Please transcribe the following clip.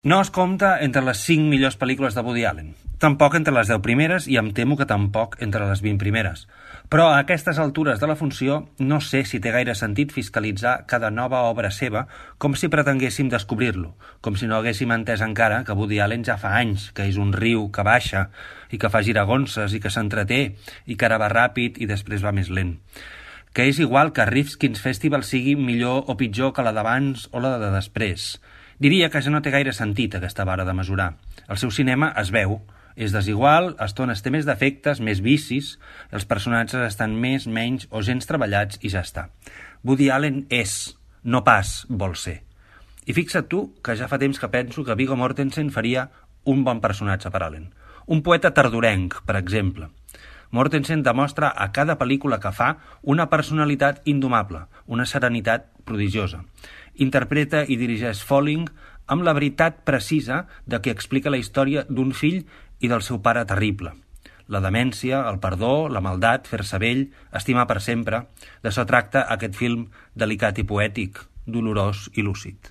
No es compta entre les 5 millors pel·lícules de Woody Allen, tampoc entre les 10 primeres i em temo que tampoc entre les 20 primeres. Però a aquestes altures de la funció no sé si té gaire sentit fiscalitzar cada nova obra seva com si pretenguéssim descobrir-lo, com si no haguéssim entès encara que Woody Allen ja fa anys que és un riu que baixa i que fa giragonses i que s'entreté i que ara va ràpid i després va més lent. Que és igual que Rifkin's Festival sigui millor o pitjor que la d'abans o la de després. Diria que ja no té gaire sentit aquesta vara de mesurar. El seu cinema es veu, és desigual, a estones té més defectes, més vicis, els personatges estan més, menys o gens treballats i ja està. Woody Allen és, no pas vol ser. I fixa't tu que ja fa temps que penso que Viggo Mortensen faria un bon personatge per Allen. Un poeta tardorenc, per exemple. Mortensen demostra a cada pel·lícula que fa una personalitat indomable, una serenitat prodigiosa. Interpreta i dirigeix Falling amb la veritat precisa de qui explica la història d'un fill i del seu pare terrible. La demència, el perdó, la maldat, fer-se vell, estimar per sempre, d'això tracta aquest film delicat i poètic, dolorós i lúcid.